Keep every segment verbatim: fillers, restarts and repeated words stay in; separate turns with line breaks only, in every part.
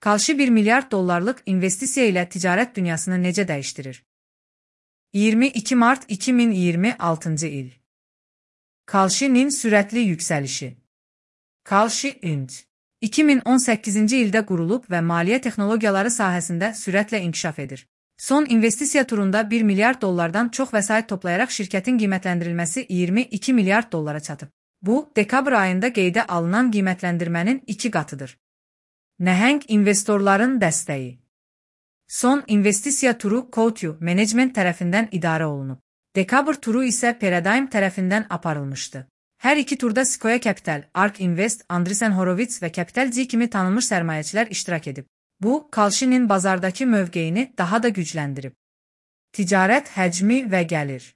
Kalshi bir milyard dollarlıq investisiya ilə ticarət dünyasını necə dəyişdirir? iyirmi iki Mart iki min iyirmi altıncı il. Kalshi'nin sürətli yüksəlişi. Kalshi Inc. iki min on səkkizinci ildə qurulub və maliyyə texnologiyaları sahəsində sürətlə inkişaf edir. Son investisiya turunda bir milyard dollardan çox vəsait toplayaraq şirkətin qiymətləndirilməsi iyirmi iki milyard dollara çatıb. Bu, dekabr ayında qeydə alınan qiymətləndirmənin iki qatıdır. Nəhəng investorların dəstəyi. Son investisiya turu Coatue Management tərəfindən idarə olunub. Dekabr turu isə Paradigm tərəfindən aparılmışdı. Hər iki turda Sequoia Capital, Ark Invest, Andreessen Horowitz və Capital G kimi tanınmış sərmayəçilər iştirak edib. Bu, Kalshi'nin bazardakı mövqeyini daha da gücləndirib. Ticarət həcmi və gəlir.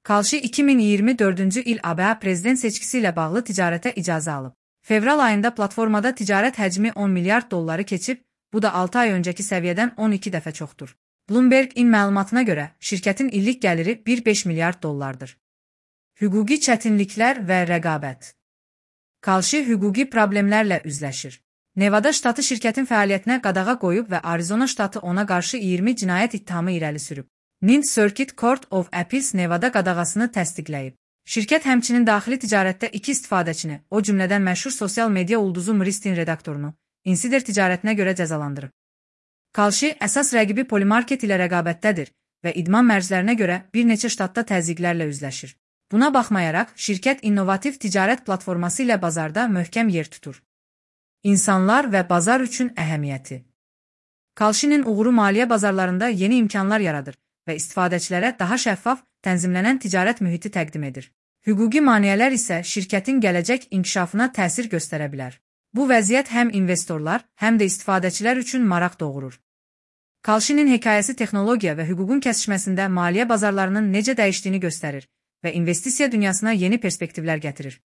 Kalshi iki min iyirmi dördüncü il A B A prezident seçkisi ilə bağlı ticarətə icazə alıb. Fevral ayında platformada ticarət həcmi on milyard dolları keçib, bu da altı ay öncəki səviyyədən on iki dəfə çoxdur. Bloomberg-in məlumatına görə, şirkətin illik gəliri bir nöqtə beş milyard dollardır. Hüquqi çətinliklər və rəqabət. Kalshi hüquqi problemlərlə üzləşir. Nevada ştatı şirkətin fəaliyyətinə qadağa qoyub və Arizona ştatı ona qarşı iyirmi cinayət ittihamı irəli sürüb. Ninth Circuit Court of Appeals Nevada qadağasını təsdiqləyib. Şirkət həmçinin daxili ticarətdə iki istifadəçini, o cümlədən məşhur sosial media ulduzu Mristin redaktorunu, Insider ticarətinə görə cəzalandırıb. Kalshi əsas rəqibi Polymarket ilə rəqabətdədir və idman mərclərinə görə bir neçə ştatda təzyiqlərlə üzləşir. Buna baxmayaraq, şirkət innovativ ticarət platforması ilə bazarda möhkəm yer tutur. İnsanlar və bazar üçün əhəmiyyəti. Kalshi'nin uğuru maliyyə bazarlarında yeni imkanlar yaradır və istifadəçilərə daha şəffaf, tənzimlənən ticarət mühiti təqdim edir. Hüquqi maneələr isə şirkətin gələcək inkişafına təsir göstərə bilər. Bu vəziyyət həm investorlar, həm də istifadəçilər üçün maraq doğurur. Kalshi'nin hekayəsi texnologiya və hüququn kəsişməsində maliyyə bazarlarının necə dəyişdiyini göstərir və investisiya dünyasına yeni perspektivlər gətirir.